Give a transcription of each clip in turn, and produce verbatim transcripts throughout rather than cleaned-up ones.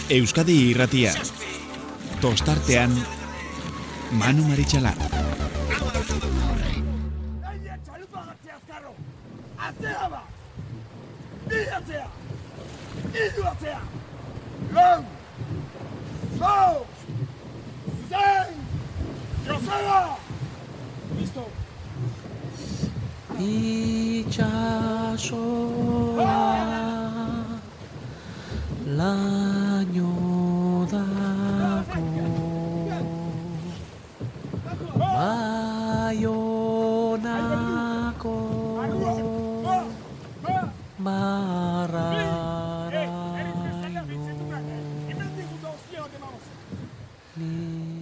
Euskadi Irratia. Tostartean Manu Maritxalar. Atzea ba! Bi atzea! Iru atzea! Lau! Lau! Zein! Joseba! Listo! Itxasoa laino dako Baionako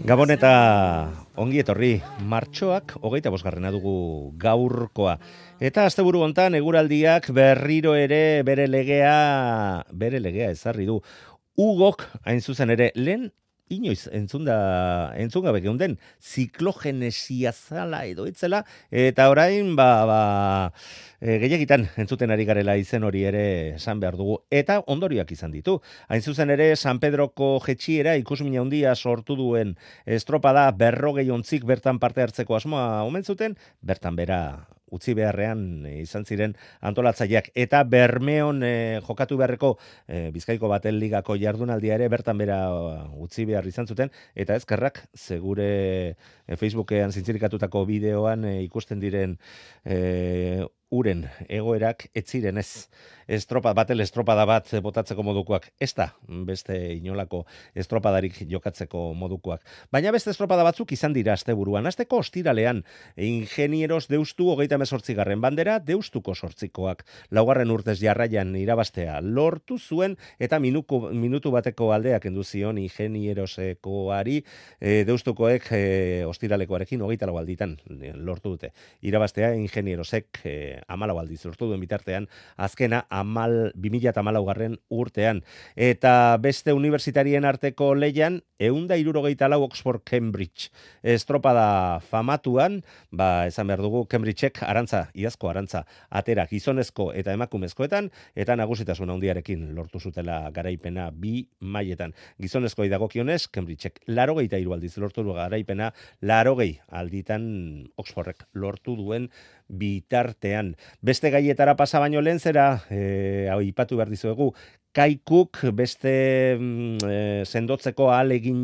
Gabon eta ongi etorri, martxoak hogeita bosgarrena dugu gaurkoa. Eta asteburu hontan eguraldiak berriro ere bere legea, bere legea ezarri du. Ugok hain zuzen ere lehen inoiz entzunda, entzungabe geunden ziklogenesia zala edo etzela, eta orain ba, ba, e, gehiagitan entzuten ari garela izen hori ere esan behar dugu, eta ondorioak izan ditu. Hain zuzen ere San Pedroko jetxiera ikusmina handia sortu duen estropada berrogei ontzik bertan parte hartzeko asmoa omen zuten, bertan bera utzi beharrean izan ziren antolatzaileak eta Bermeon e, jokatu beharreko e, Bizkaiko Batel Ligako jardunaldia ere bertan bera utzi behar izan zuten, eta ezkerrak segure e, Facebookean zintzirikatutako bideoan e, ikusten diren e, uren egoerak ez ziren ez estropa, batel estropada bat botatzeko modukoak, ez da beste inolako estropadarik jokatzeko modukoak. Baina beste estropada batzuk izan dira asteburuan. Asteko ostiralean ingenieros deustu hogeita hemezortzigarren bandera, deustuko sortzikoak laugarren urtez jarraian irabaztea lortu zuen, eta minuko, minutu bateko aldeak kendu zion ingenierosekoari e, deustukoek e, ostiralekoarekin hogeita lau alditan lortu dute. Irabaztea ingenierosek e, amalau aldiz lortu duen bitartean, azkena amal, bi mila hamalaugarren urtean. Eta beste universitarien arteko lehian, ehunda hirurogeita lau Oxford Cambridge estropada famatuan, ba, esan behar dugu, Cambridgeek arantza, iazko arantza, atera gizonezko eta emakumezkoetan, eta nagusitasun handiarekin lortu zutela garaipena bi mailetan. Gizonezkoi dagokionez, Cambridgeek larogeita hiru aldiz lortu du garaipena, larogei alditan Oxfordek lortu duen bitartean. Beste gaietara pasa baino lehen zera, e, hau ipatu behar dizuegu, Kaikuk beste e, sendotzeko ahalegin,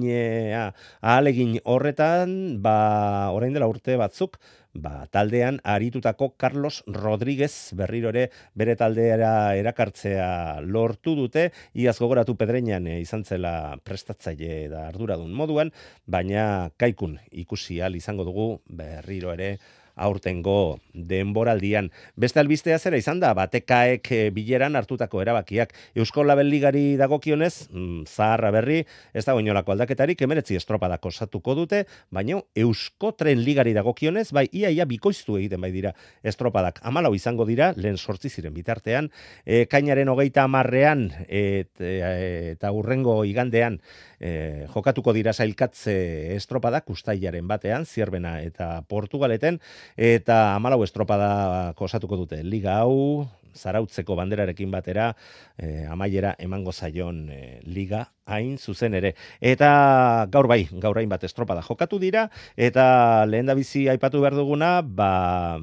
ahalegin horretan, ba, orain dela urte batzuk, ba, taldean aritutako Carlos Rodríguez berriro ere bere taldera erakartzea lortu dute, iaz gogoratu Pedreñan e, izan zela prestatzaile da arduradun moduan, baina Kaikun ikusi ahal izango dugu berriro ere aurtengo denboraldian. Beste albistea zera izan da, batekaek bileran hartutako erabakiak. Eusko Label Ligari dagokionez, mm, zaharra berri, ez dago inolako aldaketarik, hemeretzi estropadak osatuko dute, baina Eusko Tren Ligari dagokionez, bai, iaia bikoiztu egiten bai dira estropadak. Hamalau izango dira, lehen sortzi ziren bitartean, e, kainaren hogeita hamarrean et, e, eta urrengo igandean e, jokatuko dira sailkatze estropadak, ustailaren batean, Zierbena eta Portugaleten, eta hamalau estropada osatuko dute liga hau, zarautzeko banderarekin batera, eh, amaiera emango zaion eh, liga hain zuzen ere. Eta gaur bai, gaur hain bat estropada jokatu dira, eta lehen da bizi aipatu behar duguna, ba,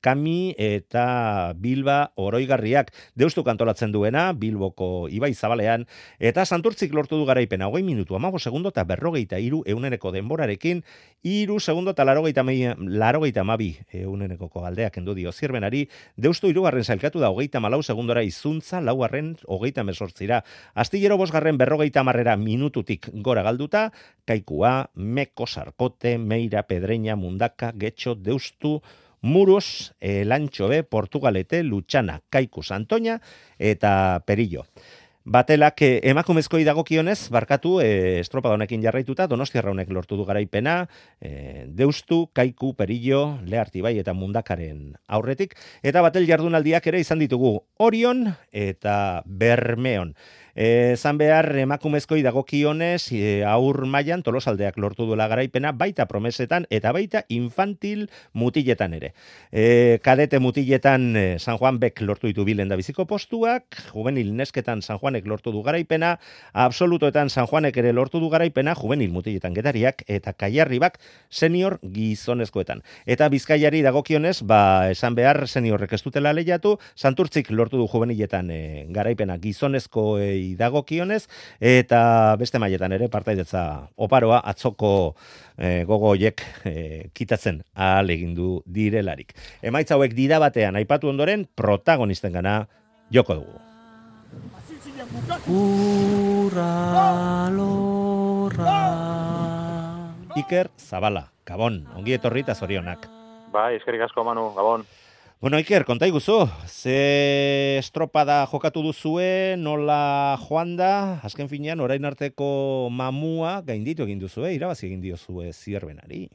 Kami eta Bilba oroigarriak deustu kantolatzen duena, Bilboko Ibai Zabalean, eta Santurtzik lortu du garaipena, hogei minutu, hamabost segundo eta berrogeita hiru euneneko denborarekin, hiru segundo eta larogeita hamabi eunenekoko aldeak kendu dio Zierbenari, deustu hirugarren sailkatu da hogeita hamalau segundora izuntza, laugarren hogeita hemezortzira. Astillero bosgarren berrogeita hamarrera minututik gora galduta, Kaikua, Meko, Sarkote, Meira, Pedreña, Mundaka, Getxo, Deustu, Muros, Elantxobe, Portugalete, Lutxana, Kaiku, Santoña eta Perillo. Batelak eh, emakumezkoi dagokionez, barkatu, eh, estropada honekin jarraituta, Donostiarra honek lortu du garaipena, eh, Deustu, Kaiku, Perillo, Leartibai eta Mundakaren aurretik, eta batel jardunaldiak ere izan ditugu Orion eta Bermeon. Zan behar emakumezkoi dagokionez e, aur mailan Tolosaldeak lortu duela garaipena, baita promesetan eta baita infantil mutiletan ere. E, kadete mutiletan e, San Juan Bek lortu ditu bilen da biziko postuak, juvenil nesketan San Juanek lortu du garaipena, absolutoetan San Juanek ere lortu du garaipena, juvenil mutiletan Getariak eta Kaiarribak senior gizonezkoetan. Eta Bizkaiari dagokionez, ba, esan behar seniorrek ez dutela lehiatu, Santurtzik lortu du juveniletan e, garaipena gizonezkoei dagokionez, eta beste mailetan ere partaidetza oparoa atzoko e, gogo hoiek e, kitatzen ahal egin du direlarik. Emaitza hauek dida batean aipatu ondoren protagonisten gana joko dugu. Urra lorra. Iker Zabala, Gabon, ongi etorri eta zorionak. Bai, eskerrik asko Manu, Gabon. Bueno, Iker, konta iguzu, ze estropada jokatu duzue, nola joan da, azken finean, orain arteko mamua gainditu egin duzue, irabazi egin diozue Zierbenari.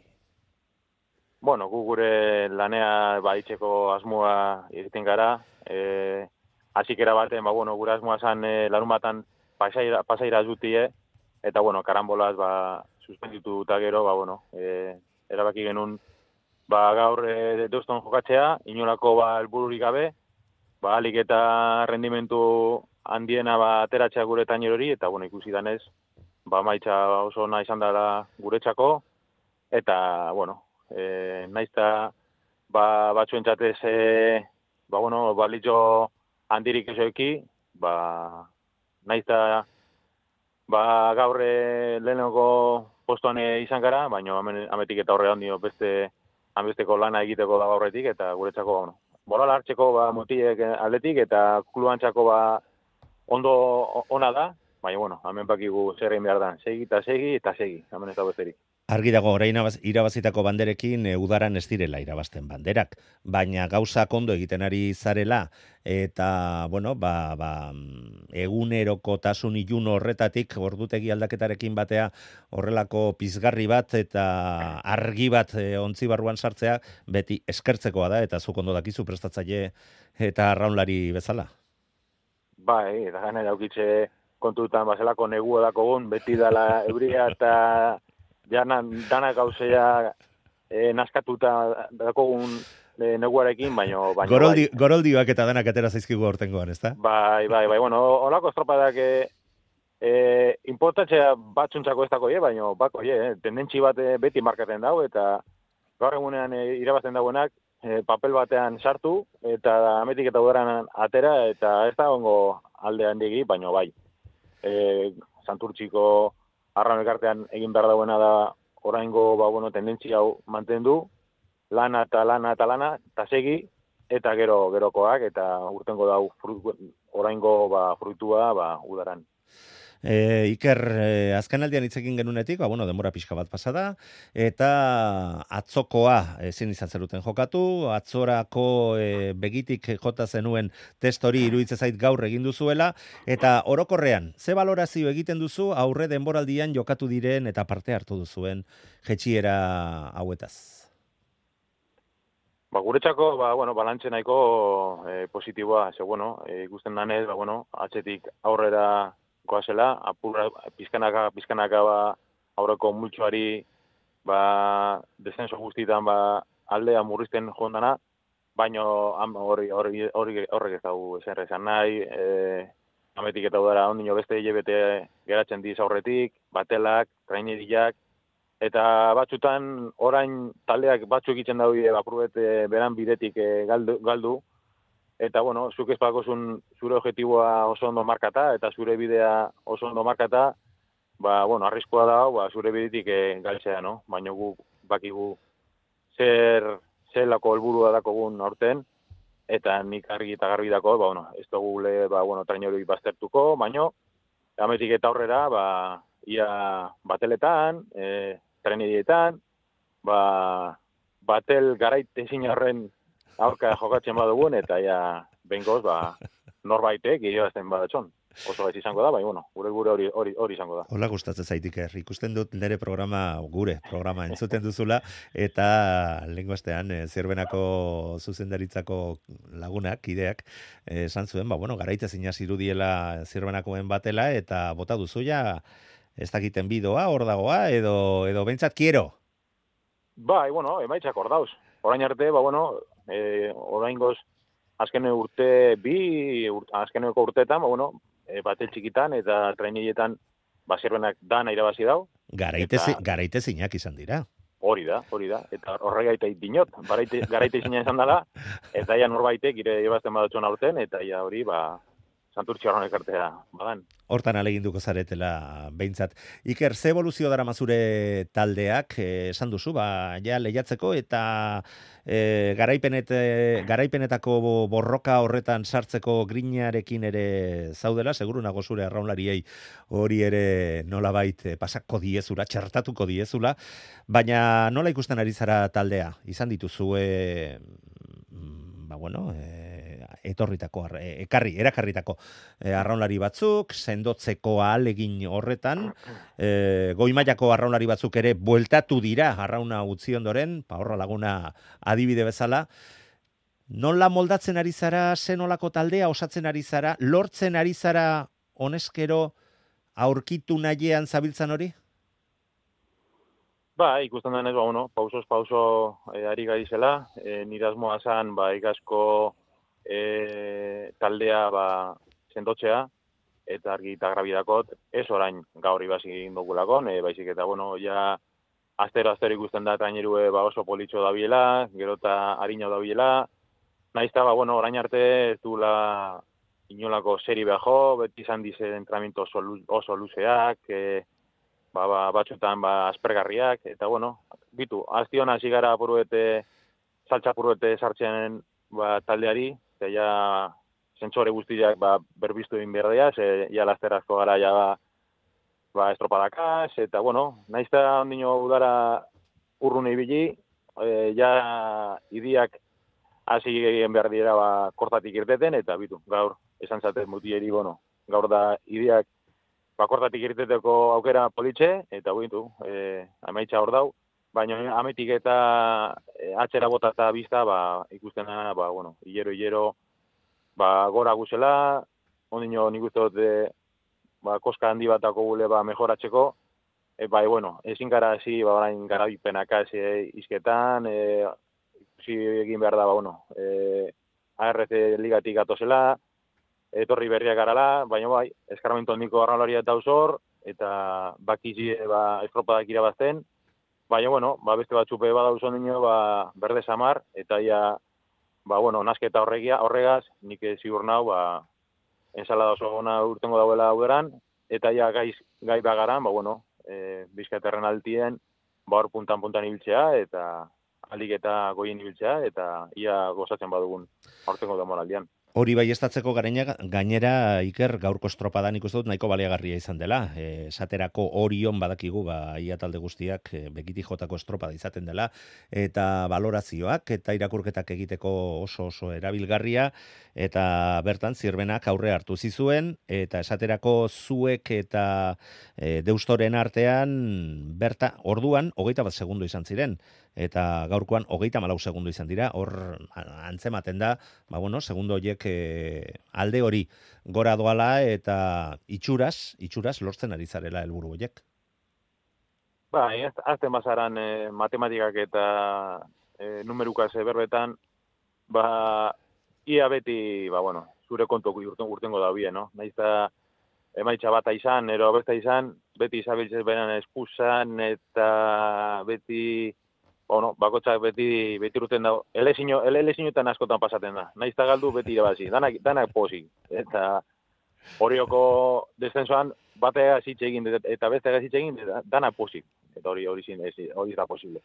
Bueno, gu gure lanea baditzeko asmoa egiten gara, e, azikera baten, ba, bueno, gure asmoa zan e, larun batan pasaira, pasaira zutie, eta, bueno, karambolaz, ba, suspenditu eta gero, ba, bueno, e, erabaki genuen, ba, gaur e, deuston jokatzea, inolako ba, helbururik gabe, ba, alik eta rendimentu handiena ba, ateratzea gure tainerori, eta bueno, ikusi danez, ba, maitza oso ona izan dela guretzako, eta, bueno, e, naizta ba, batzuentzatez, e, ba, bueno, balitzo handirik ezoeki, ba, naizta ba, gaur e, lehenoko postuan e, izan gara, baina ametik eta horre handio beste hanbesteko lana egiteko da gaurretik, eta guretzako, bueno, bolala hartzeko ba, motiek aldetik, eta kluantzako ba, ondo ona da, baina, bueno, hemen bakigu zer egin behar da, segi eta segi eta segi, hemen ez da besterik. Argi dago, orain irabazitako banderekin e, udaran ez direla irabazten banderak, baina gauzak ondo egiten ari zarela, eta, bueno, ba, ba, egunerokotasun ilun horretatik, ordutegi aldaketarekin batea, horrelako pizgarri bat, eta argi bat e, ontzi barruan sartzea, beti eskertzekoa da, eta zuk ondo dakizu prestatzaile eta arraunlari bezala. Bai, eta gana daukitze kontutan, bazelako negua dakogun, beti dala euria eta janan, dana gauzea e, naskatuta dakogun e, neguarekin, baino... baino Goroldi, bai. Goroldioak eta danak atera zaizkigu hortengoan, ez da? Bai, bai, bai, bueno, olako estropadak e, e, importantzea batzuntzako ez dako, e, baino, bako, e, tendentzi bat e, beti markaten dago, eta gaur egunean e, irabazten dagoenak, e, papel batean sartu, eta ametik eta udaran atera, eta ez da ongo alde handigi, baino bai. E, Santurtziko arraun elkartean egin behar dagoena da oraingo ba, bueno, tendentzia hau mantendu, lana eta lana eta lana, eta segi, eta gero gerokoak, eta urtengo dau frut, oraingo ba, fruitua ba, udaran. E, Iker, e, azken aldian hitzekin genunetik, ba, bueno, denbora pixka bat pasada, eta atzokoa ezin izan zeruten jokatu, atzorako e, begitik jota zenuen test hori iruditzen zait gaur egin duzuela, eta orokorrean, ze balorazio egiten duzu aurre denboraldian jokatu diren eta parte hartu duzuen jetxiera hauetaz? Ba, guretzako, ba, bueno, balantze nahiko e, positiboa, ze, bueno, e, ikusten danez, ba, bueno, atzetik aurrera goazela, apurra, pizkanaka, pizkanaka, ba, aurreko multxoari, ba, descenso guztietan, ba, aldea murrizten jondana, baino, hori, hori, hori, horrek ez dago ezer esan nahi, e, ametik eta udara, ondino beste hilabete geratzen diz aurretik, batelak, traineriak, eta batzutan, orain taldeak batzuk egiten daude, apurret beran bidetik e, galdu, galdu, eta, bueno, zuk ez bakozun zure objetiboa oso ondo markata, eta zure bidea oso ondo markata, ba, bueno, arriskoa da, ba, zure bidetik e, galtzea, no? Baina gu bakigu zer, zer lako helburua dakogun aurten, eta nik argi eta garbi dako, ba, bueno, ez dugu le, ba, bueno, trainori baztertuko, baina, ametik eta aurrera, ba, ia bateletan, e, trainerietan, ba, batel garait ezin horren aurka jokatzen badugun, eta ja, bengoz, ba, norbaitek irabazten badatxon. oso gaiz izango da, bai, bueno, gure gure hori hori hori izango da. Hola gustatzen zaitik, er. Ikusten dut nire programa, gure programa entzuten duzula, eta lehengo astean, e, Zirbenako zuzendaritzako lagunak, kideak, e, esan zuen, ba, bueno, garaitez inaz irudiela Zirbenakoen batela, eta bota duzu ja, ez dakiten bidoa, hor dagoa, edo, edo bentsat kiero. Bai, bueno, emaitzak hor dauz. Orain arte, ba, bueno, e, oraingoz, azken urte bi, ur, azkeneko urteetan, ba, bueno, e, bate txikitan eta trainietan ba Zirbenak dana irabazi dau. Garaitezi, garaitezinak izan dira. Hori da, hori da. Eta horregaitek dinot, baraite, garaitezina izan dela, eta ja norbaitek ire irabazten badutxon aurten, eta ja hori, ba, santurtxo horren ekartea badan. Hortan aleginduko zaretela behintzat. Iker, ze evoluzio dara mazure taldeak, eh, esan duzu, ba, ja lehiatzeko, eta eh, garaipenet, eh, garaipenetako borroka horretan sartzeko grinarekin ere zaudela, seguru nago zure arraunlariei hori ere nolabait eh, pasako diezula, txertatuko diezula, baina nola ikusten ari zara taldea? Izan dituzue, ba bueno, eh, etorritako, ekarri, erakarritako e, arraunlari batzuk, sendotzeko ahalegin horretan, e, goimailako arraunlari batzuk ere bueltatu dira arrauna utzi ondoren, pa horra laguna adibide bezala. Nola moldatzen ari zara, zenolako taldea osatzen ari zara, lortzen ari zara honezkero aurkitu nahiean zabiltzan hori? Ba, ikusten denez, ba, bueno, pausoz pauso e, ari garizela, e, nire asmoa zan, ba, ikazko E, taldea ba, sendotzea, eta argi eta grabidakot, ez orain gaur ibasi egin dugulakon, e, baizik eta, bueno, ja astero-astero ikusten da trainerue ba, oso politxo dabiela, gero eta harina dabiela, naizta, ba, bueno, orain arte ez duela inolako seri behajo, beti izan dize entrenamiento oso, oso luzeak, e, ba, ba, batzutan ba, aspergarriak, eta, bueno, bitu, aztion hasi gara puruete, saltza puruete sartzen ba, taldeari, eta ja sentsore guztiak ba, berbiztu egin behar dira, ze ja lasterazko gara ja ba, ba estropadakaz, eta bueno, naizta ondino udara urrun ibili, e, ja idiak hasi egin behar dira ba, kortatik irteten, eta bitu, gaur, esan zaten mutieri, bueno, gaur da idiak ba, kortatik irteteko aukera politxe, eta bitu, e, amaitza hor dau, baina ametik eta e, atxera bota eta bizta, ba, ikusten da, ba, bueno, hilero-hilero, ba, gora guzela, ondino nik uste dut, e, ba, koska handi batako gule, ba, mejoratzeko, e, bai, bueno, ezin gara hasi, ba, orain garabipenaka e, izketan, e, ikusi egin behar da, ba, bueno, e, A R C ligatik atozela, etorri berriak garala, baina bai, eskarmentu handiko arraularia eta usor, eta bakizi, ba, estropadak irabazten, baina, bueno, ba, beste batzupe badauz ondino, ba, berde samar, eta ia, ba, bueno, nasketa horregia, horregaz, nik ziur nau, ba, ensalada oso gona urtengo dauela uderan, eta ia gaiz, gai bagaran, ba, bueno, e, bizkaterren altien, ba, hor puntan-puntan ibiltzea, eta alik eta goien ibiltzea, eta ia gozatzen badugun aurtengo demoraldian. Hori bai estatzeko gareina, gainera Iker gaurko estropadan ikusten dut nahiko baliagarria izan dela. E, esaterako Orion badakigu, ba, ia talde guztiak e, bekiti jotako estropada izaten dela, eta valorazioak eta irakurketak egiteko oso oso erabilgarria, eta bertan Zirbenak aurre hartu zizuen, eta esaterako zuek eta e, Deustoren artean, berta, orduan, hogeita bat segundo izan ziren, eta gaurkoan hogeita malau segundo izan dira, hor antzematen da, ba bueno, segundo horiek e, alde hori gora doala eta itxuraz, itxuraz lortzen ari zarela helburu horiek. Ba, azten bazaran e, matematikak eta e, numerukaz berbetan, ba, ia beti, ba, bueno, zure kontuko urten, urtengo da bie, no? Naizta emaitza bata izan, ero besta izan, beti izabiltzez beran espusan, eta beti... Bueno, bakotxak beti, beti urten dago. Elezinoetan askotan pasaten da. Naizta galdu beti irabazi. Danak, danak pozik. Eta horioko descensoan batea zitxe egin eta bestea zitxe egin danak pozik. Eta hori hori zin, hori da posible.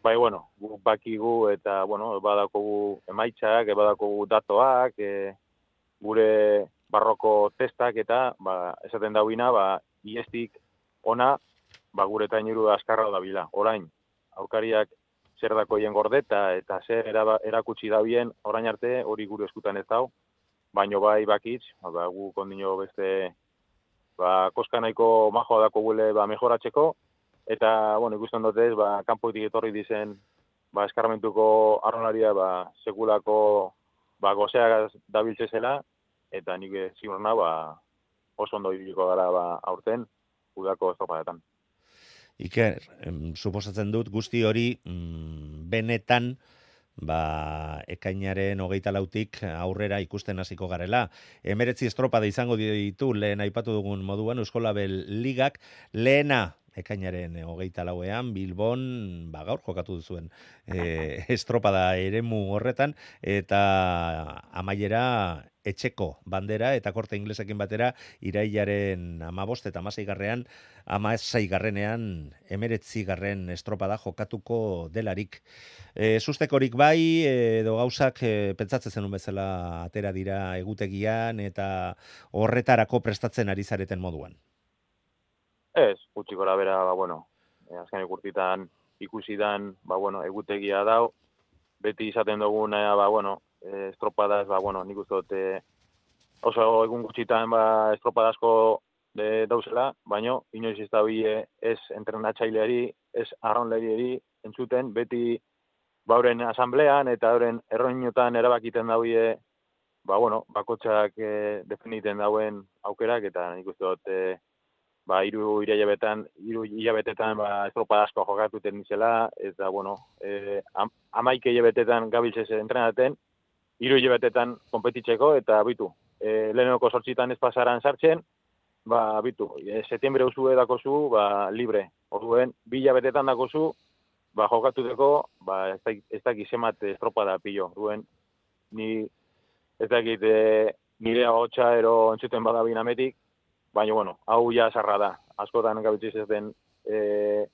Bai, bueno, gu bakigu eta, bueno, badakogu emaitzak, badakogu datoak, e, gure barroko testak eta, ba, esaten dauina, ba, iestik ona, ba, gure tainuru askarra da bila. Orain, aurkariak zer dako hien gordeta eta zer erakutsi da bien orain arte hori gure eskutan ez dau. baino bai bakitz, ba, gu kondino beste, ba, koska nahiko majoa dako gule, ba, mejoratzeko, eta, bueno, ikusten dutez, ba, kanpoitik etorri dizen, ba, eskarmentuko arrolaria, ba, sekulako, ba, gozeak dabiltze zela, eta nik ziur nahi, ba, oso ondo ibiliko gara, ba, aurten, udako estropadetan. Iker, em, suposatzen dut guzti hori mm, benetan ba, ekainaren hogeita lautik aurrera ikusten hasiko garela. Emeretzi estropada izango ditu lehen aipatu dugun moduan Euskolabel Ligak, lehena ekainaren hogeita lauean, Bilbon, ba, gaur jokatu duzuen e, estropada eremu horretan, eta amaiera etxeko bandera eta korte inglesekin batera irailaren amabost eta amaseigarrean, amaseigarrenean emeretzigarren estropada jokatuko delarik. E, sustekorik bai, edo gauzak e, pentsatzen zenun bezala atera dira egutegian eta horretarako prestatzen ari zareten moduan. Ez, gutxi gora bera, ba, bueno, azken ikurtitan ikusi dan, ba, bueno, egutegia dau, beti izaten duguna, ba, bueno, estropadaz, ba, bueno, nik uste dut, oso egun gutxitan, ba, estropadazko de, dauzela, baino, inoiz ez da bie, ez entrenatzaileari, ez arraunlariari entzuten, beti, ba, horren asamblean eta horren erroinotan erabakiten daue, ba, bueno, bakotxak eh, definiten dauen aukerak, eta nik uste dut, eh, ba, hiru hilabetetan, hiru hilabetetan, ba, estropadazko jokatuten nizela, eta, bueno, eh, am, amaike hilabetetan gabiltzez entrenaten, hiru hilabetetan konpetitzeko, eta bitu, eh, lehenoko sortzitan ez pasaran sartzen, ba, bitu, e, setiembre usue dakozu, ba, libre, orduen, bi hilabetetan dakozu, ba, jokatuteko, ba, ez, da, ez dakit zemat estropada pillo, orduen, ni, ez dakit, e, nire hotxa ero entzuten badabin ametik, baina, bueno, hau ja sarra da. Askotan gabitziz ez den, e,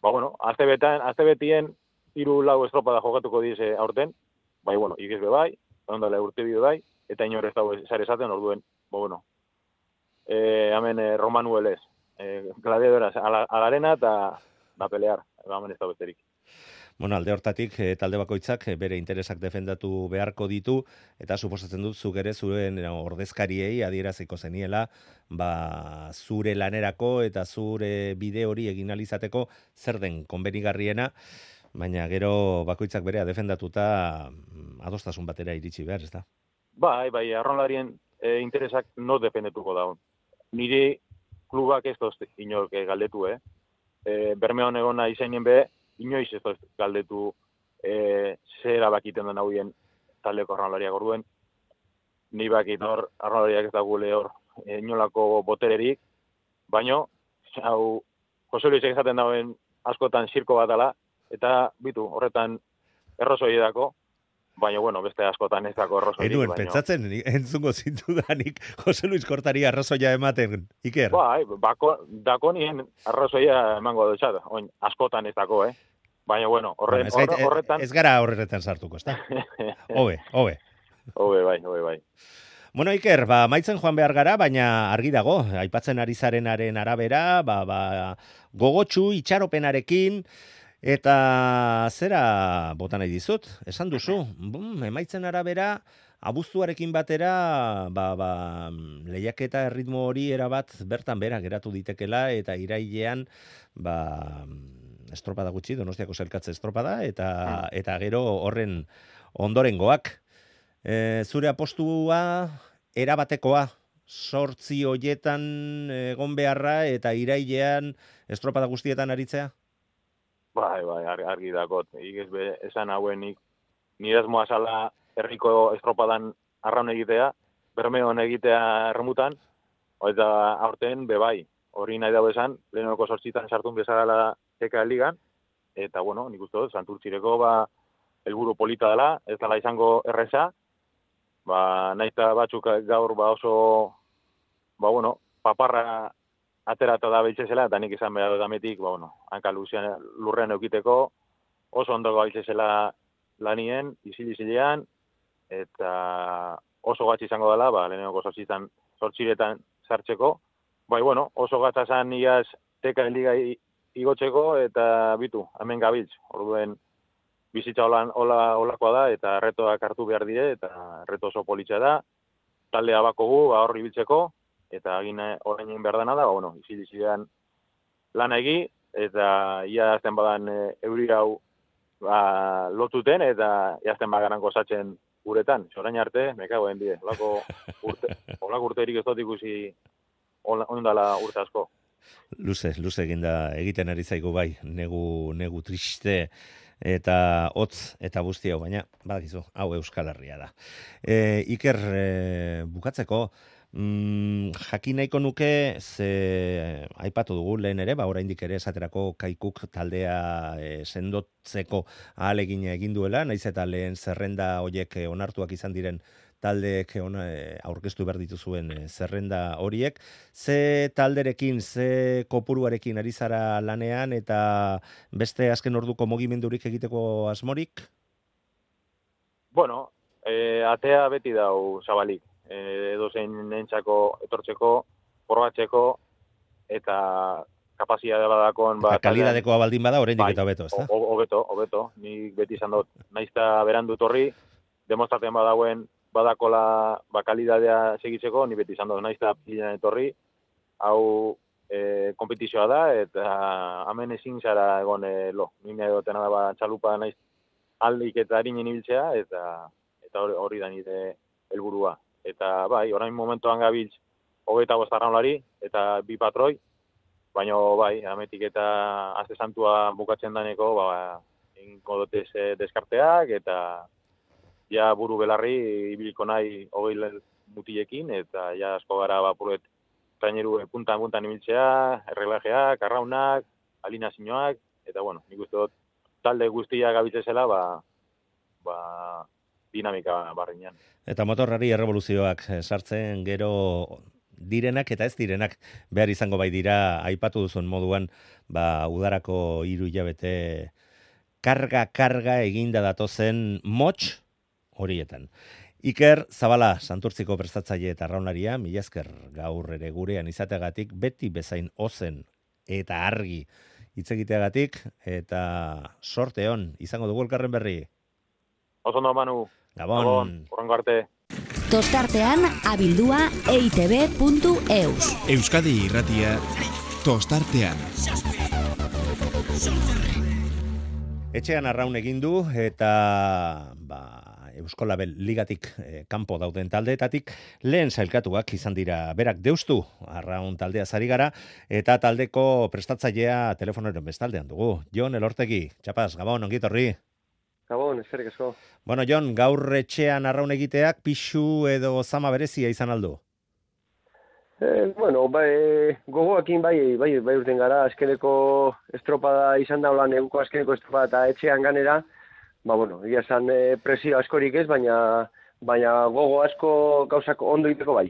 ba, bueno, azte betan, azte betien, hiru lau estropada jokatuko dize aurten, bai, bueno, ikizbe bai, ondale urte bide bai, eta inor ez dago zare esaten, orduen, ba, bueno, e, hemen e, Romanuelez, e, gladiadoras, ala, alarena eta da pelear, hemen ez dago besterik. Bueno, alde hortatik, e, talde bakoitzak e, bere interesak defendatu beharko ditu, eta suposatzen dut zuk ere zuen ordezkariei adieraziko zeniela, ba, zure lanerako eta zure bide hori egin alizateko zer den konbenigarriena, baina gero bakoitzak berea defendatuta adostasun batera iritsi behar, ez da? Bai, bai, arraunlarien e, interesak no defendetuko daun. Niri klubak ez doz inork galdetu, eh? E, Bermeon egona izainen be, inoiz ez doz galdetu e, zer abakiten den hauien taldeko arraunlariak orduen. Ni bakit hor, arraunlariak ez da gule hor e, inolako botererik, baino, hau, Jose Luis esaten dauen askotan zirko bat dela, eta bitu, horretan errozoi edako, baina, bueno, beste askotan ez dako errozoi. Enuen, baino... pentsatzen, entzungo zintudanik Jose Luis Kortari arrazoia ematen, Iker? Bai, bako, dako nien arrazoia emango dutxat, oin, askotan ez dako, eh? Baina, bueno, horre, bueno, ez, gait, horre, horretan... Ez gara horretan sartuko, ez da? Hobe, hobe. Hobe, bai, hobe, bai. Bueno, Iker, ba, maitzen joan behar gara, baina argi dago, aipatzen ari zarenaren arabera, ba, ba, gogotsu, itxaropenarekin, eta zera bota nahi dizut, esan duzu, bum, emaitzen arabera, abuztuarekin batera, ba, ba, lehiaketa erritmo hori erabat bertan bera geratu ditekela, eta irailean, ba, estropada gutxi, Donostiako Sailkatze estropada, eta, eta gero horren ondorengoak. E, zure apostua erabatekoa, sortzi hoietan egon beharra, eta irailean estropada guztietan aritzea? Bai, bai, argi dakot. Igez be, esan hauenik, nirezmoa sala herriko estropadan arraun egitea, Bermeon egitea erremutan, eta aurten, be bai, hori nahi dago esan, lehenoko sortzitan sartun bezala teka ligan, eta, bueno, nik uste dut, Santurtzireko, ba, helburu polita dela, ez dela izango erreza, ba, nahiz batzuk gaur, ba, oso, ba, bueno, paparra aterata da beltzezela, eta nik izan behar dametik, ba, bueno, hanka luzean lurrean eukiteko, oso ondo beltzezela lanien, izil-izilean, eta oso gatz izango dela, ba, lehenengo sortzitan, sortziretan sartzeko, bai, bueno, oso gatza zan iaz teka liga igotzeko, eta bitu, hemen gabiltz, orduen bizitza hola, hola, holakoa da, eta retoak hartu behar dire, eta reto oso politxa da, taldea bakogu, ba, horri biltzeko, eta egin orain egin behar dena da, ba, bueno, izilizidean lan egi, eta ia azten badan e, euri hau ba, lotuten, eta iazten bagaran gozatzen uretan. Orain arte, me cago en die. Olako urte, olako urterik ez dut ikusi ondala urte asko. Luze, luze eginda egiten ari zaigu bai, negu, negu triste eta hotz eta guzti hau, baina badakizu, hau Euskal Herria da. E, Iker, e, bukatzeko, mm, jakin nahiko nuke, ze aipatu dugu lehen ere, ba oraindik ere esaterako Kaikuk taldea e, sendotzeko ahalegina egin duela, naiz eta lehen zerrenda hoiek e, onartuak izan diren taldeek ona, e, aurkeztu behar dituzuen e, zerrenda horiek. Ze talderekin, ze kopuruarekin ari zara lanean eta beste azken orduko mugimendurik egiteko asmorik? Bueno, e, atea beti dau zabalik. E, edozein nentzako etortzeko, probatzeko eta kapazitatea badakon... Ba, eta kalidadekoa baldin bada, oraindik bai, eta hobeto, ezta? Hobeto, hobeto. Nik beti izan dut, naizta berandu torri, demostratzen badauen badakola ba, kalidadea segitzeko, ni beti izan dut, naizta pilan etorri, hau e, kompetizioa da, eta hemen ezin zara egon e, lo. Nine dutena da ba, txalupa naiz aldik eta harinen ibiltzea, eta eta hori, hori da nire helburua. Eta bai, orain momentuan gabiltz hogeita bost arraunlari eta bi patroi, baina bai, ametik eta azte santua bukatzen daneko, ba, ingo dutez e, deskarteak, eta ja buru belarri ibiliko nahi hogei mutilekin, eta ja asko gara bapuret traineru puntan-puntan ibiltzea, erreglajeak, arraunak, alinazioak, eta bueno, nik uste dut talde guztia gabitzezela, ba, ba, dinamika barriñan. Eta motorrari errevoluzioak sartzen gero direnak eta ez direnak behar izango bai dira, aipatu duzun moduan, ba, udarako hiru hilabete karga-karga eginda datozen motx horietan. Iker Zabala, Santurtziko prestatzaile eta arraunaria, mila esker gaur ere gurean izateagatik, beti bezain ozen eta argi hitz egiteagatik, eta sorte on, izango dugu elkarren berri. Oso ondo, Manu. Gabon. Gabon, horrengo arte. Tostartean abildua eitb puntu eus. Euskadi Irratia, Tostartean. Etxean arraun egin du eta ba, Euskolabel ligatik eh, kanpo dauden taldeetatik lehen sailkatuak izan dira berak deustu arraun taldea zari gara eta taldeko prestatzailea telefonoren bestaldean dugu. Jon Elortegi, txapaz, Gabon, ongitorri. Gabon, eskerrik asko. Bueno, Jon, gaur etxean arraun egiteak pixu edo zama berezia izan aldu? Eh, bueno, bai, gogoakin bai, bai, bai urten gara, azkeneko estropada izan da, hola, neguko azkeneko estropada eta etxean ganera, ba, bueno, egia esan e, presio askorik ez, baina, baina gogo asko gauzak ondo iteko bai.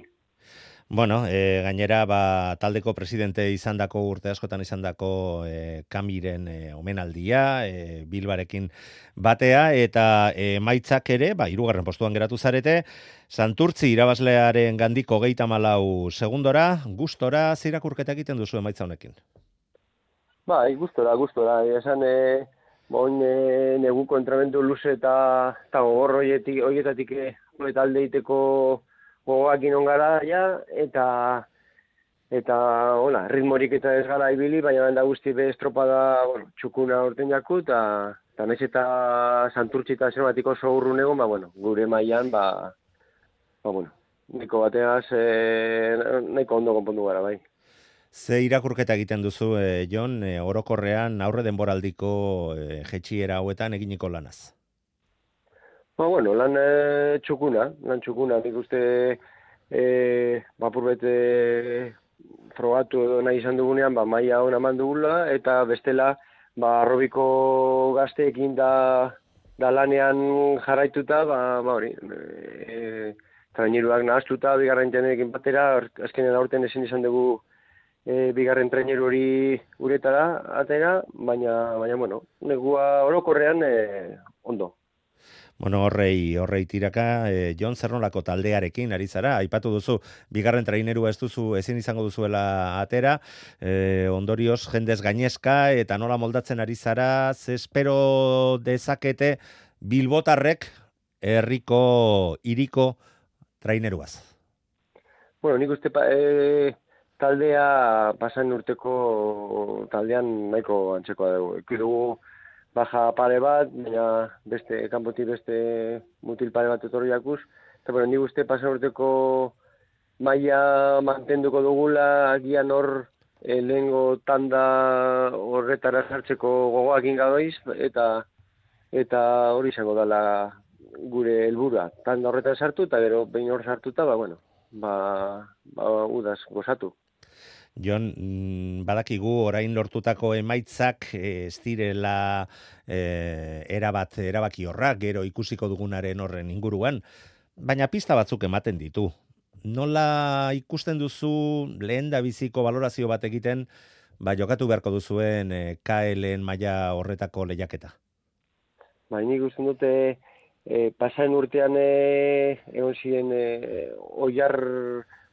Bueno, e, gainera, ba, taldeko presidente izandako urte askotan izandako e, Kamiren e, omenaldia, e, Bilbarekin batea, eta e, maitzak ere, ba, hirugarren postuan geratu zarete, Santurtzi irabazlearen gandiko geita malau segundora, gustora, zirakurketa egiten duzu emaitza honekin? Bai, gustora, gustora, esan, e, bon, e, neguko entramendu luze eta, eta gogor hoietatik, hoietatik e, talde iteko gogoakin ongara, ja, eta eta, hola, ritmorik eta ez gara ibili, baina da guzti be estropada, bueno, txukuna orten jaku, eta eta naiz eta Santurtzi eta zermatiko oso urrun egon, ba, bueno, gure mailan, ba, ba, bueno, nahiko bateaz, e, nahiko ondo konpondu gara, bai. Ze irakurketa egiten duzu, e, Jon, e, orokorrean aurre denboraldiko e, jetxiera hauetan eginiko lanaz? Ba, bueno, lan e, txukuna, lan txukuna, nik uste e, bapurbete frogatu edo nahi izan dugunean, ba, maila hona mandugula, eta bestela, ba, arrobiko gazteekin da, da lanean jarraituta, ba, ba hori, e, traineruak nahaztuta, bigarren tenekin batera, azkenen aurten ezin izan dugu e, bigarren traineru hori uretara, atera, baina, baina, bueno, negua orokorrean e, ondo. Bueno, horrei, horrei tiraka, e, Jon Zernolako taldearekin ari zara, aipatu duzu, bigarren trainerua ez duzu, ezin izango duzuela atera, e, ondorioz jendez gainezka, eta nola moldatzen ari zara, ze espero dezakete bilbotarrek herriko hiriko traineruaz? bueno, nik uste pa, e, taldea pasan urteko taldean nahiko antzekoa dugu. Eki dugu baja pare bat, baina beste, kanpotik beste mutil pare bat etorri jakuz. Eta, bueno, nik uste pasan urteko maila mantenduko dugula, agian hor e, lehengo tanda horretara sartzeko gogoakin gadoiz, eta eta hori izango dela gure helburua. Tanda horretan sartu, eta gero behin hor sartuta, ba, bueno, ba, ba udaz gozatu. Jon, badakigu orain lortutako emaitzak ez direla e, erabat erabaki horrak, gero ikusiko dugunaren horren inguruan, baina pista batzuk ematen ditu. Nola ikusten duzu lehen da biziko valorazio bat egiten, ba, jokatu beharko duzuen e, K L-en maila horretako lehiaketa? Ba, nik ikusten dute e, pasaren urtean e, egon ziren e, oiar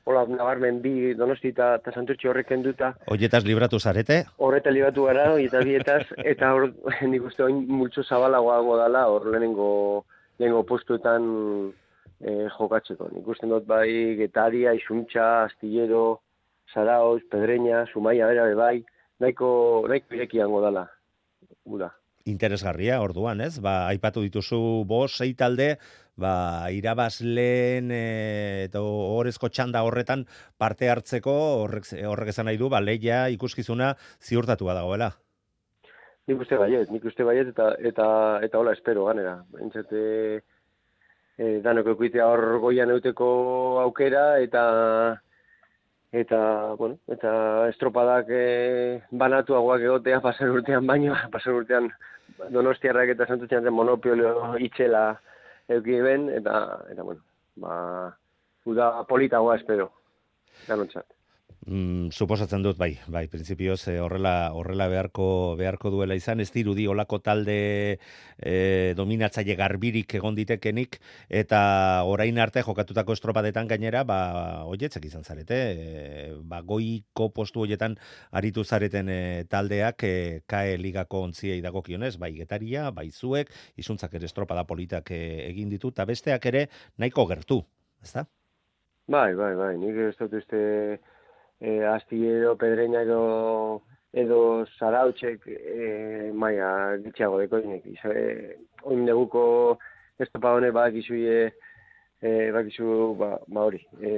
hola, nabarmen bi Donosti eta Santurtzi horrek kenduta. Oietaz libratu zarete? Horreta libratu gara, oieta bietaz, eta hor nik uste oin multzo zabalagoago dala, hor lehenengo, lehenengo postuetan e, jokatzeko. Nik uste dut bai Getaria, Isuntxa, Astillero, Zarauz, Pedreña, Zumaia, bera, bai, nahiko, nahiko irekiango dala. Ura. Interesgarria, orduan, ez? Ba, aipatu dituzu bost, sei talde, ba, irabazleen e, eta horrezko txanda horretan parte hartzeko, horrek, horrek esan nahi du, ba, lehia ikuskizuna ziurtatua dagoela. Nik uste baiet, nik uste baiet, eta, eta, eta hola espero, ganera. Entzate, e, danok eukitea hor goian euteko aukera, eta eta, bueno, eta estropadak e, banatuagoak egotea pasan urtean baino, pasan urtean Donostiarrak eta Santurtzian monopolio itxela euki ben, eta, eta bueno, ba, uda politagoa espero, danontzat. Mm, suposatzen dut, bai, bai, printzipioz eh, horrela, horrela beharko, beharko duela izan, ez dirudi olako talde eh, dominatzaile garbirik egon ditekenik, eta orain arte jokatutako estropadetan gainera, ba, oietzek izan zarete, e, ba, goiko postu hoietan aritu zareten e, taldeak e, K E ligako ontziei dagokionez, bai Getaria, bai zuek, izuntzak ere estropada politak e, egin ditu, eta besteak ere nahiko gertu, ezta? Bai, bai, bai, nik ez dut uste E, Astillero, Pedreña edo, edo Zarautzek e, maia gitxeago dekoinek. E, oin neguko estopa honek badakizu e, badakizu ba, ba hori. E,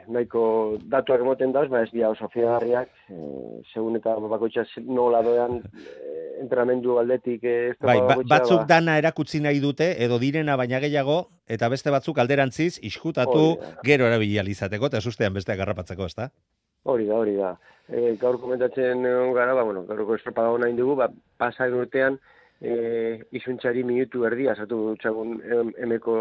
nahiko datuak emoten dauz, ba ez dira oso fiagarriak, e, segun eta bakoitza nola doan e, entrenamendu aldetik e, estopa bai, bakoitza. Batzuk ba, dana erakutsi nahi dute, edo direna baina gehiago, eta beste batzuk alderantziz, iskutatu gero erabili izateko, eta sustean besteak garrapatzeko, ezta? Hori da, hori da. E, gaur komentatzen gara, ba, bueno, gaurko estropada hona indugu, ba, pasak urtean e, izuntxari minutu erdia, zatu txagun emeko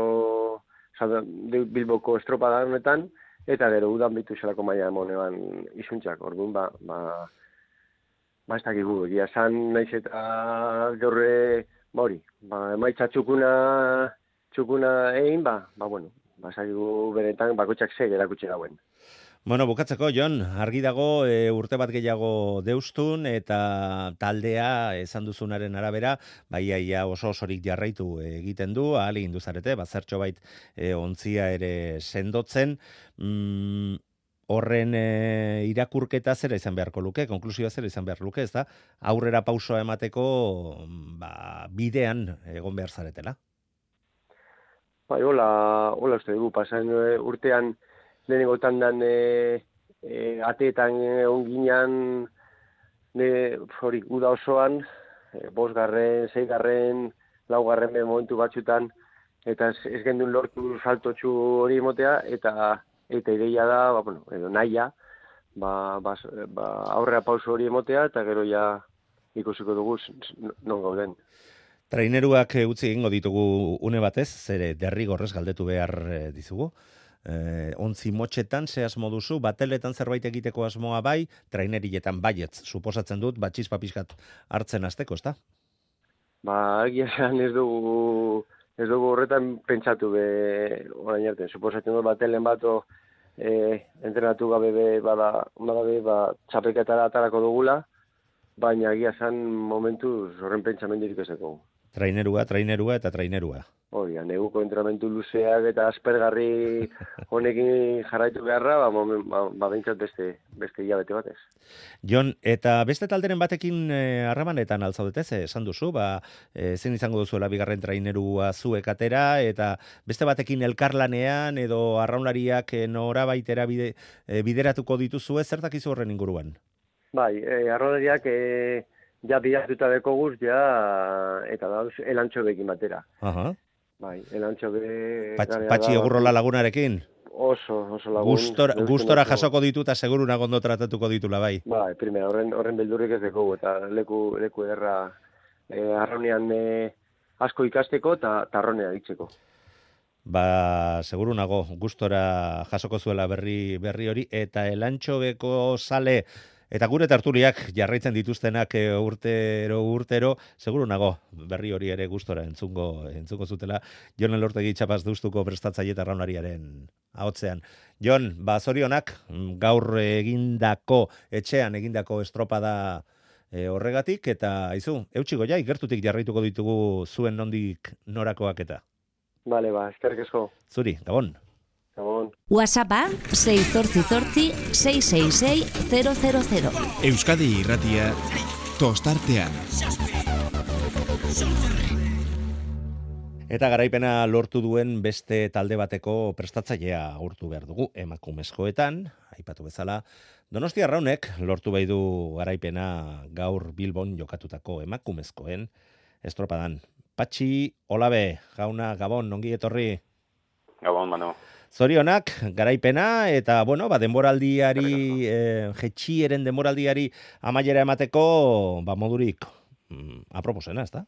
Bilboko estropada honetan, eta gero udan bitu zelako maila emonean izuntxak. Orduan, ba, ba, ba ez dakigu, egia san naiz eta gaurre, ba hori, ba, emaitza txukuna, txukuna egin, ba, ba, bueno, ba, zakigu benetan bakoitzak zeg erakutsi dauen. Bueno, bukatzeko, Jon, argi dago e, urte bat gehiago deustun eta taldea esan duzunaren arabera, baiaia oso osorik jarraitu egiten du, ahal egin duzarete, bazertxo bait e, ontzia ere sendotzen, mm, horren e, irakurketa zera izan beharko luke, konklusioa zera izan behar luke, ez da? Aurrera pausoa emateko ba, bidean egon behar zaretela. Bai, hola, hola uste dugu, pasan urtean lehenengo tandan e, e, ateetan egon ginean hori uda osoan, e, bosgarren, seigarren, laugarren be momentu batzutan, eta ez, ez gendun lortu saltotxu hori emotea, eta eta ideia da, ba, bueno, edo naia, ba, ba, ba, aurrera pauso hori emotea, eta gero ja ikusiko dugu non gauden. Traineruak utzi egingo ditugu une batez, zere derrigorrez galdetu behar dizugu. Eh, ontzi motxetan, ze asmo duzu, bateletan zerbait egiteko asmoa bai, trainerietan baietz, suposatzen dut, batxispa pixkat hartzen azteko, ezta? Ba, egia esan ez dugu, ez dugu horretan pentsatu be, orain arte, suposatzen dut batelen bato e, entrenatu gabe be, bada, bada, ba, txapelketara atarako dugula, baina egia esan momentuz horren pentsamendirik ez dugu. Trainerua, trainerua eta trainerua. Hori, neguko entrenamentu luzeak eta aspergarri honekin jarraitu beharra, ba, momen, ba, ba behintzat beste, beste hilabete batez. Jon, eta beste talderen batekin eh, harremanetan altzaudetez, eh, esan duzu, ba, eh, zen izango duzuela bigarren trainerua zuek atera, eta beste batekin elkarlanean edo arraunlariak eh, norabaitera bide, eh, bideratuko dituzue, zertak izu horren inguruan? Bai, eh, arraunlariak eh, ja bidatuta dekoguz, ja, eta dauz, elantxobekin batera. Aha. Bai, elantxobe... Patx, patxi egurrola lagunarekin? Oso, oso lagun. Gustora, gustora jasoko ditu eta seguruna gondo tratatuko ditula bai. Bai, primera, horren, horren beldurrik ez dekogu, eta leku, leku erra eh, arraunean eh, asko ikasteko eta tarronea ditzeko. Ba, seguru nago, gustora jasoko zuela berri berri hori, eta elantxobeko sale eta gure tertuliak jarraitzen dituztenak e, urtero urtero, seguru nago berri hori ere gustora entzungo entzungo zutela. Jon Elortegi txapaz duztuko prestatzaile eta arraunlariaren ahotzean. Jon, ba zorionak gaur egindako etxean egindako estropada e, horregatik, eta aizu, eutxiko ja, ikertutik jarraituko ditugu zuen nondik norakoak eta. Bale, ba, eskerrik asko. Zuri, gabon. Gabon. WhatsAppa sei zortzi zortzi sei sei sei zero zero zero. Euskadi Irratia tostartean. Eta garaipena lortu duen beste talde bateko prestatzailea agurtu behar dugu emakumezkoetan, aipatu bezala, Donostia Arraunek lortu bai du garaipena gaur Bilbon jokatutako emakumezkoen estropadan. Patxi Olabe, jauna, Gabon, ongi etorri. Gabon, Manu. Zorionak, garaipena, eta, bueno, ba, denboraldiari, eh, jetxieren denboraldiari amaiera emateko, ba, modurik mm, aproposena, ez da?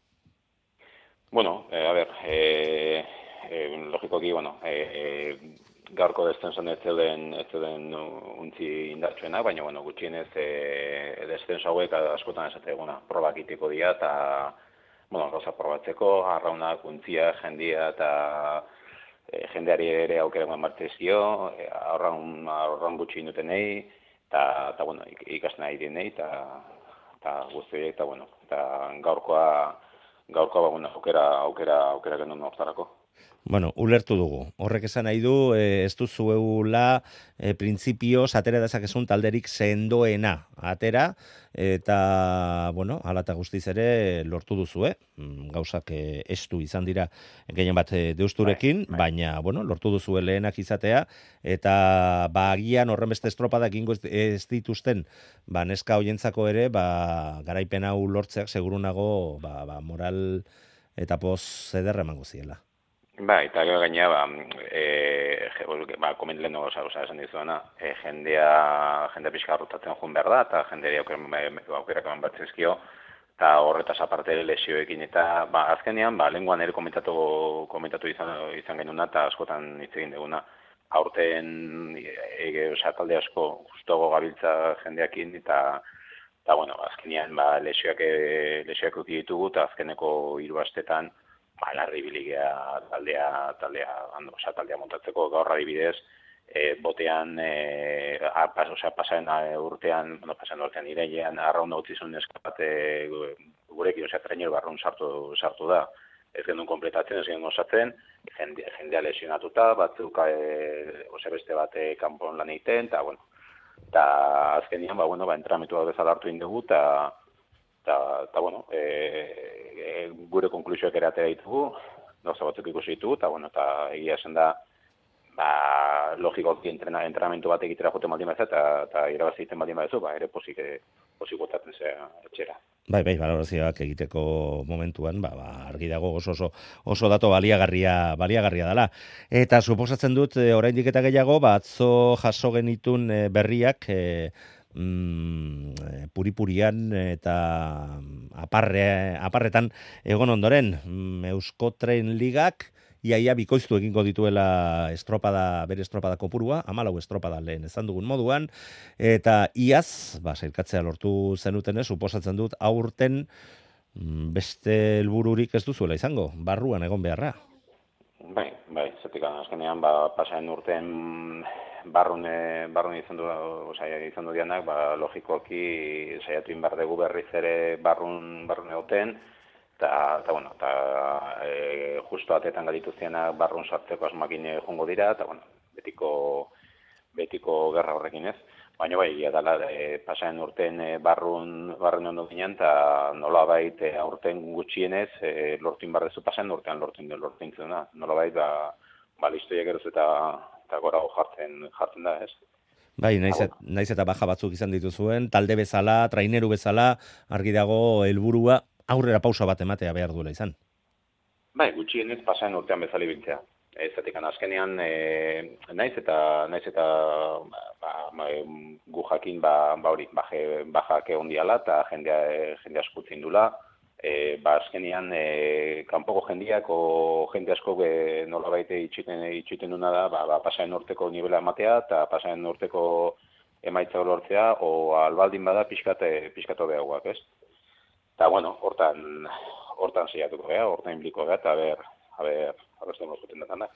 Bueno, eh, a ver, eh, eh, logikoki, bueno, eh, gaurko descensoan ez zeuden, ez zeuden untzi indartsuena, baina, bueno, gutxienez eh, descenso hauek askotan esateguna, probak itiko dira, eta, bueno, gauza probatzeko, arraunak, untzia, jendia, eta E, jendeari ere aukera eman martezio, e, aurran, aurran gutxi indutenei, eta, bueno, ikasten ari dienei, eta guzti, eta, bueno, eta gaurkoa, gaurkoa, ba, bueno, aukera, aukera, aukera genuen hortarako. Bueno, ulertu dugu. Horrek esan nahi du, eh, ez duzuela eh, printzipioz atera dezakezun talderik sendoena atera, eta, bueno, hala eta guztiz ere lortu duzu, eh? Gauzak eh, estu izan dira gehien bat eh, deusturekin, bai, bai. Baina, bueno, lortu duzu lehenak izatea, eta bagian horren beste estropada egingo ez, ez dituzten, ba, neska hoientzako ere, ba, garaipen hau lortzeak segurunago, ba, ba, moral eta poz ederra emango ziela. Ba, eta gero gainea, ba, e, ba, komentlehen oza, oza, esan dizuena, e, jendea, jendea pixka rotatzen joan behar da, eta jendea aukerak eman batzizkio, eta horretaz aparte lesioekin, eta ba, azkenean, ba, lenguan ere komentatu, komentatu izan, izan genuna, eta askotan hitz egin duguna, aurten, e, oza, talde asko justuago gabiltza jendeakin, eta, eta bueno, azkenean, ba, lesioak, lesioak uki ditugu, eta azkeneko hiru astetan, ba, larri biligea taldea, taldea, ando, oza, taldea montatzeko gaur adibidez, e, botean, e, a, pas, oza, pasaren urtean, bueno, pasaren urtean irailean, arraun utzi zuen eskapate gurekin, oza, trainer barrun sartu, sartu da. Ez genuen kompletatzen, ez genuen osatzen, jende, jendea lesionatuta, batzuk, e, oza, beste bate kanpon lan egiten, eta, bueno, eta azkenian, ba, bueno, ba, entramentu hau bezala hartu indugu, eta Eta, eta, bueno, e, e, gure konklusioak ere atera ditugu, gauza batzuk ikusi ditugu, eta, bueno, eta egia esan da, ba, logikoki entrena, entrenamentu bat egitera joten baldin baza, eta, eta irabazi egiten baldin baza, ba, ere posik, posik botatzen zera etxera. Bai, bai, balorazioak egiteko momentuan, ba, ba, argi dago oso, oso, oso dato baliagarria, baliagarria dela. Eta suposatzen dut, e, oraindik eta gehiago, ba, atzo jaso genitun e, berriak, e, Mm, puripurian eta aparre, aparretan egon ondoren mm, Euskotren Ligak iaia bikoiztu egingo dituela estropada, bere estropada kopurua, hamalau estropada lehen ezan dugun moduan, eta iaz, ba, sailkatzea lortu zenuten, suposatzen dut aurten mm, beste helbururik ez duzuela izango, barruan egon beharra. Bai, bai, zetik azkenean, ba, pasaren urten barrun, barrun izan du, osea, izan du dianak, ba, logikoki saiatu inbar dugu berriz ere barrun, barrun egoten, eta, eta bueno, eta e, justo atetan gadituzienak barrun sartzeko asmakin jongo dira, eta bueno, betiko, betiko gerra horrekin ez. Baina bai, egia dela, e, pasaren urten e, barrun, barrun ondo ginen, eta nolabait e, aurten gutxienez, e, lortin barrezu pasaren urtean lortin lortin zena. Nolabait, ba, ba listoiak eroz eta, eta gora jartzen, jartzen da, ez? Bai, naiz, et, naiz eta baja batzuk izan dituzuen, talde bezala, traineru bezala, argi dago helburua aurrera pausa bat ematea behar duela izan. Bai, gutxienez pasaren urtean bezala ibiltzea. Ez atikan azkenean, e, naiz eta naiz eta ba, ba, gu jakin ba, ba hori, baje, bajak egon diala eta jendea, jendea eskutzen dula. E, ba azkenean, e, kanpoko jendiak o jende asko e, nolabait itxiten, itxiten duna da, ba, ba, pasaren urteko nivela ematea eta pasaren urteko emaitza lortzea, o albaldin bada pixkat, pixkatu behagoak, ez? Eta, bueno, hortan, hortan zeiatuko geha, hortan inbliko geha, eta ber, a ber, abeste mozuten datan da.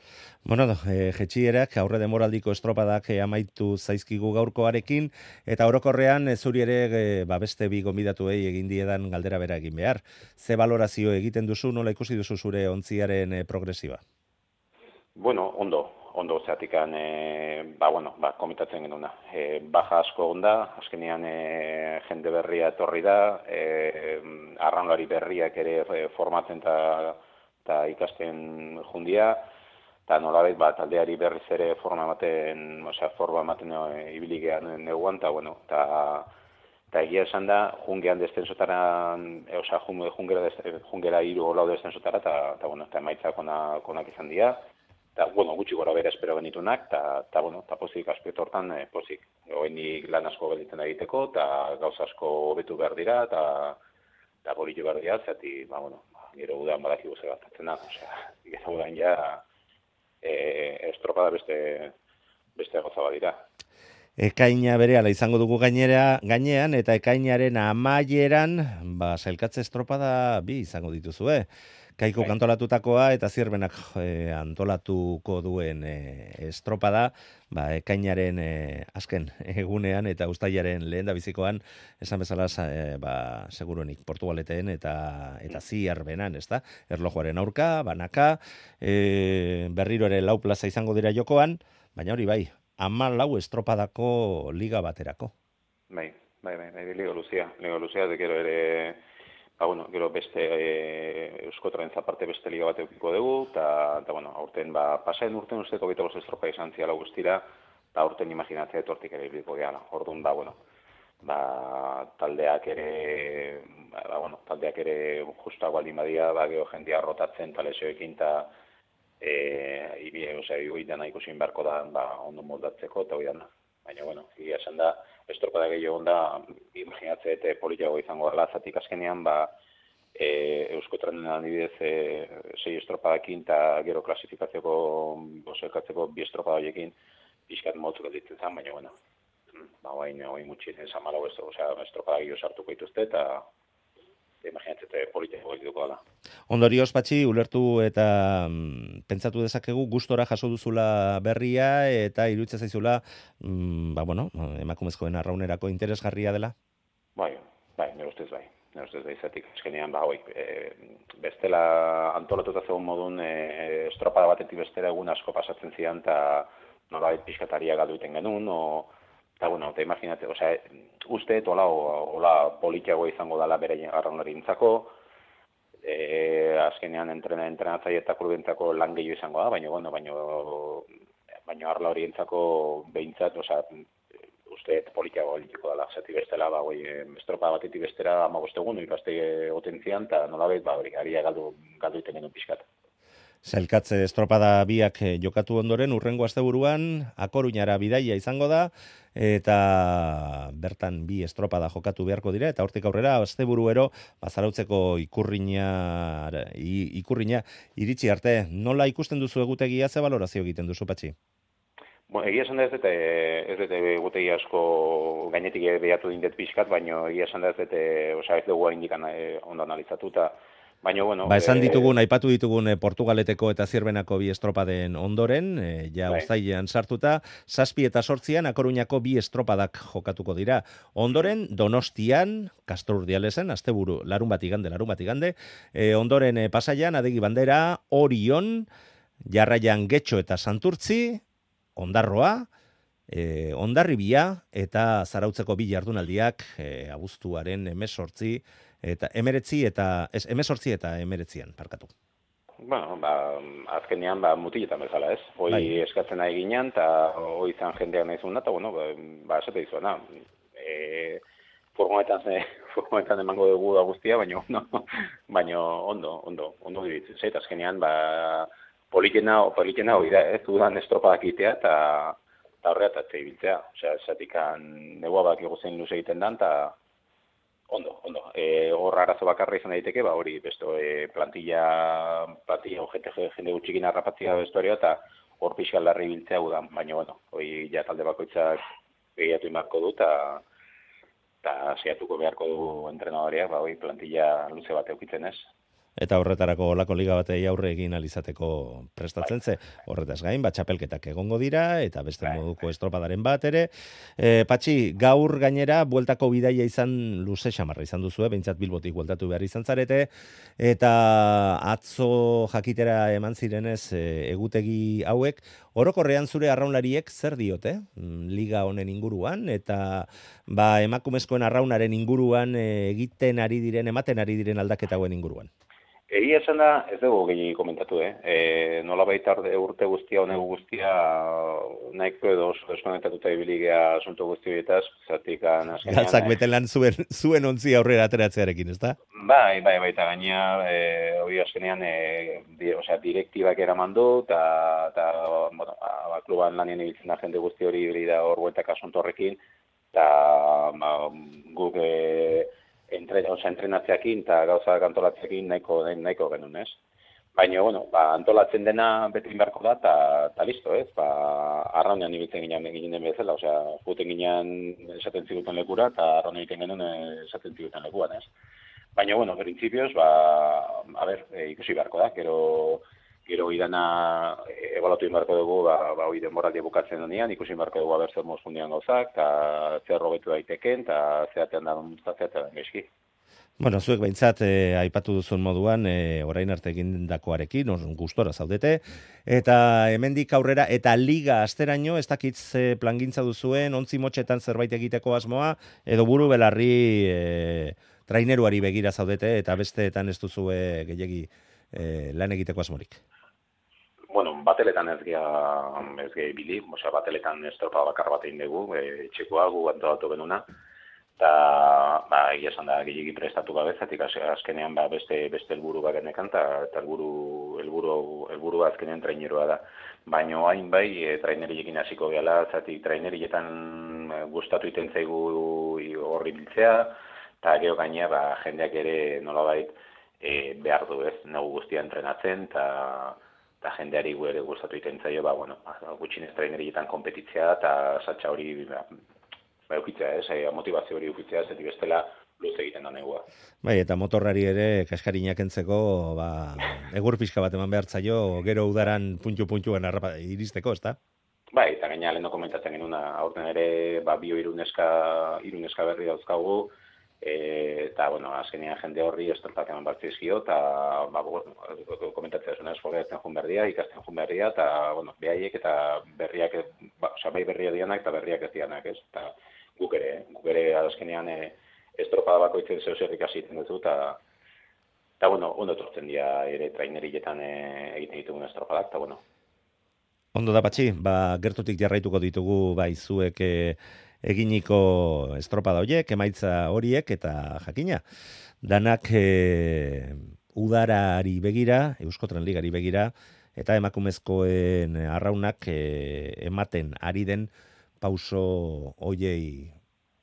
Bueno, e, jetxierak aurre demoraldiko estropadak e, amaitu zaizkigu gaurkoarekin, eta orokorrean e, zuri ere e, ba, beste bi gonbidatuei egin diedan galdera bera egin behar. Ze valorazio egiten duzu, nola ikusi duzu zure ontziaren e, progresiba? Bueno, ondo, ondo zeatikan, e, ba, bueno, ba, komitatzen genuna. E, baja asko onda, azkenean e, jende berria etorri da, e, arraunlari berriak ere e, formatzen eta eta ikasten jundia, eta nolabait ba, taldeari berriz ere forma ematen, osea, forma ematen e, ibiligean neguan, eta, bueno, eta eta egia esan da, jungean destensotara, e, osea, jungera, jungera iru lau destensotara, eta, eta, bueno, eta emaitzak onak, onak izan dira, eta, bueno, gutxi gora bera espero genitunak, eta, eta, bueno, eta pozik aspektu hortan, e, pozik, oenik lan asko gelditzen egiteko, eta gauza asko hobetu behar dira, eta, eta bolitu behar dira, zati, ba, bueno, gero udan badaki guze gatatzen da, osea, gero udan ja e, estropada beste, beste goza badira. Ekaina berehala izango dugu gainera, gainean, eta ekainaren amaieran, ba, sailkatze estropada bi izango dituzue. Kaiko kantolatutakoa eta Zierbenak e, antolatuko duen e, estropada, ba, ekainaren e, azken egunean eta uztailaren lehen da bizikoan, esan bezala, e, ba, seguruenik Portugaleten eta eta Zierbenan, ez da? Erlojuaren aurka, banaka, e, berriro ere lau plaza izango dira jokoan, baina hori bai, ama lau estropadako liga baterako. Bai, bai, bai, bai, liga luzia, liga luzia, de gero ere... Ba, bueno, gero beste e, Euskotraren zaparte beste liga bat eukiko dugu, eta, bueno, aurten, ba, pasaen urten usteko bete bost estropa izan ziala guztira, eta aurten imaginatzea etortik ere ibiliko gehala. Orduan, ba, bueno, ba, taldeak ere, ba, bueno, taldeak ere justago aldin badia, ba, geho jendia rotatzen talesioekin, eta e, ibi, osea, igoitan nahiko zin beharko da, ba, ondo moldatzeko, eta oidan da. Baina, bueno, egia esan da, estropada gehiago da, imaginatzea eta politiago izango dela, zatik azkenean, ba, e, Euskotrenen adibidez e, sei estropadakin eta gero klasifikatzeko, boselkatzeko bi estropada horiekin, pixkat motzuk alditzen zen, baina, bueno, ba, hain, hain mutxien esan malau ez, osea, estropada gehiago sartuko dituzte, eta imaginatzea politiago egituko dela. Ondorioz, Patxi, ulertu eta mm, pentsatu dezakegu gustora jaso duzula berria eta iruditzen zaizula, mm, ba, bueno, emakumezkoen arraunerako interesgarria dela? Bai, bai, nire ustez bai. Nire ustez bai, zatik eskenean, ba, hoi, e, bestela antolatuta zegoen modun e, estropada batetik bestela egun asko pasatzen zian, eta nolabait pixkataria galdu iten genuen, o, eta, bueno, eta imaginate, osea, uste, hola, hola politiago izango dela bere arraunari intzako, e, azkenean entrena, entrenatzaile eta klubentzako lan gehiago izango da, baina, bueno, baina, baina arla horientzako behintzat, osea, uste politiago egiteko dela, zati bestela, ba, goi, estropa batetik bestera amagoste egun, ikaste otentzian, eta nolabait, ba, hori, aria galdu, galdu iten genuen pixkat. Sailkatze estropada biak jokatu ondoren, urrengo asteburuan Akoruñara bidaia izango da, eta bertan bi estropada jokatu beharko dira, eta hortik aurrera asteburuero bazarautzeko ikurriña, ikurriña iritsi arte. Nola ikusten duzu egutegia, ze balorazio egiten duzu, Patxi? Bueno, egia esan da ez dute, ez dute egutegi asko gainetik behatu dindet pixkat, baina egia esan da ez dute, osea, ez dugu hain dikan ondo analizatuta, Baina, bueno... Ba, esan ditugun, aipatu ditugun eh, Portugaleteko eta Zierbenako bi estropaden ondoren, eh, ja Bai. uztailean sartuta, zazpi eta sortzian Akoruñako bi estropadak jokatuko dira. Ondoren, Donostian, Castro Urdialesen, asteburu, larun bat igande, larun bat igande, eh, ondoren eh, Pasaian, Adegi Bandera, Orion, jarraian Getxo eta Santurtzi, Ondarroa, eh, Hondarribia eta Zarautzeko bi jardunaldiak eh, abuztuaren emesortzi, eta emeretzi eta, ez, emesortzi eta emeretzian, parkatu. Bueno, ba, azkenean, ba, mutiletan bezala, ez? Hoi Bai. eskatzen nahi ginen, eta hoi izan jendeak nahi zuen, eta, bueno, ba, ba esate dizuena. E, furgonetan, ze, furgonetan emango dugu da guztia, baina ondo, baina ondo, ondo, ondo dibitzen. Zait, azkenean, ba, politena, politena hoi da, ez dudan estropadak itea, eta eta horretatzea ibiltzea. Osea, esatikan negua bak egozen luze egiten dan, eta ondo, ondo. E, horra arazo bakarra izan daiteke, ba hori, besto, e, plantilla, plantilla, jende, jende gutxikin harrapatzea bestuarioa, eta hor pixka larri biltzea udan, baina, bueno, hori ja talde bakoitzak gehiatu imarko du, eta eta saiatuko beharko du entrenadoreak, ba hori plantilla luze bat eukitzen ez. Eta horretarako olako liga batei aurre egin alizateko prestatzen ze, horretaz gain, bat txapelketak egongo dira, eta beste moduko estropadaren bat ere. E, Patxi, gaur gainera, bueltako bidaia izan luze xamarra izan duzu, behintzat Bilbotik bueltatu behar izan zarete, eta atzo jakitera eman zirenez e, egutegi hauek, orokorrean zure arraunlariek zer diote, liga honen inguruan, eta ba, emakumezkoen arraunaren inguruan e, egiten ari diren, ematen ari diren aldaketa hauen inguruan. Egia esan da, ez dugu gehi komentatu, eh? E, nola baita urte guztia, honegu guztia, nahiko edo deskonektatuta ibiligea asunto guzti horietaz, zatik azkenean... Galtzak betelan zuen, zuen ontzi aurrera ateratzearekin, ez da? Bai, bai, baita gaina, e, hori azkenean, e, di, osea, direktibak eraman du, eta, bueno, ba, kluban lanien ibiltzen da jende guzti hori ibilida hor bueltak asunto horrekin, eta ba, guk... E, Entre, oza, entrenatzeakin eta gauza antolatzeakin nahiko, nahiko genuen, ez? Baina, bueno, ba, antolatzen dena beti inbarko da, eta listo, ez? Ba, arraunean ibiltzen ginen, ginen bezala, osea, juten ginen esaten ziguten lekura, eta arraun egiten genuen esaten ziguten lekuan, ez? Baina, bueno, printzipioz, ba, a ber, e, ikusi beharko da, gero, gero idana ebaluatu inbarko dugu, ba, ba hori denboraldia bukatzen denean, ikusi inbarko dugu aber zer mozundian gauzak, eta zer robetu daiteken, eta zeatean da zeatean gaizki. Bueno, zuek behintzat eh, aipatu duzun moduan, eh, orain arte egindakoarekin, gustora zaudete, eta hemendik aurrera, eta liga asteraino, ez dakit ze plangintza duzuen, ontzi motxetan zerbait egiteko asmoa, edo buru belarri eh, traineruari begira zaudete, eta besteetan ez duzue gehiegi eh, lan egiteko asmorik. Bueno, bateletan ez gea, ez gea ibili, osea, bateletan estropa bakar bat egin dugu, e, txekoa gu antolatu benuna, eta, ba, egia esan da, gehiagi prestatu gabezatik, azkenean, ba, beste, beste helburu bat genekan, eta helburu, helburu, helburu azkenean traineroa da. Baina hain bai, e, traineriekin hasiko gehala, zatik trainerietan gustatu iten zaigu horri biltzea, eta gero gaina, ba, jendeak ere nolabait e, behar du ez, nagu guztia entrenatzen, eta eta jendeari ere gustatu iten zaio, ba, bueno, gutxinez trainerietan kompetitzea, eta satxa hori, ba, ba eukitzea, ez, motivazio hori eukitzea, ez bestela luze egiten da negua. Bai, eta motorrari ere kaskarinak entzeko, ba, egur pixka bat eman behar zaio, gero udaran puntu-puntuan iristeko, ez da? Bai, eta gaina lehen komentatzen genuna, aurten ere, ba, bio iruneska, iruneska berri dauzkagu, E, eta, bueno, azkenean jende horri estropak eman bartzizkio, eta, ba, bueno, komentatzea zuen esfolgatzen jun berria, ikasten jun berria, eta, bueno, behaiek eta berriak, ba, oza, bai berria dianak eta berriak ez dianak, ez? Eta guk ere, guk ere azkenean e, estropada bakoitzen zeu zer ikasiten dut, eta, eta, bueno, ondo tortzen dira ere trainerietan e, egiten ditugun estropadak, eta, bueno. Ondo da, Patxi, ba, gertutik jarraituko ditugu, bai, zuek e, eginiko estropada horiek, emaitza horiek, eta jakina. Danak e, udarari begira, Euskotren Ligari begira, eta emakumezkoen arraunak e, ematen ari den pauso hoiei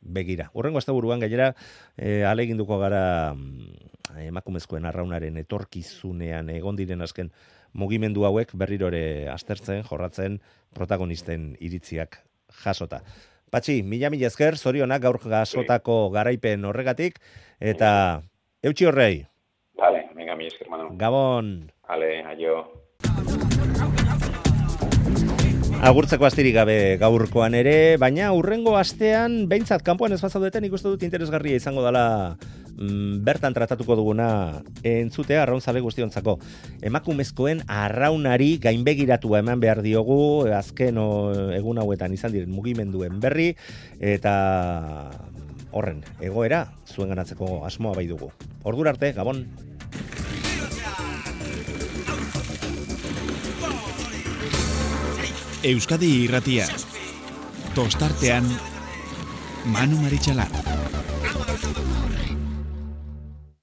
begira. Horrengo asteburuan gainera e, aleginduko gara emakumezkoen arraunaren etorkizunean egon diren azken mugimendu hauek berriro ere aztertzen, jorratzen, protagonisten iritziak jasota. Patxi, mila mila esker, zorionak gaur jasotako garaipen horregatik, eta eutxi horrei. Vale, venga, mi esker. Bueno. Gabon. Ale, aio. Agurtzeko astirik gabe gaurkoan ere, baina hurrengo astean behintzat kanpoan ez bazaudeten ikuste dut interesgarria izango dela mm, bertan tratatuko duguna entzutea arraunzale guztiontzako. Emakumezkoen arraunari gainbegiratua eman behar diogu azken o, egun hauetan izan diren mugimenduen berri eta horren egoera zuen ganatzeko asmoa bai dugu. Ordura arte, Gabon. Euskadi Irratia. Tostartean Manu Maritxalar.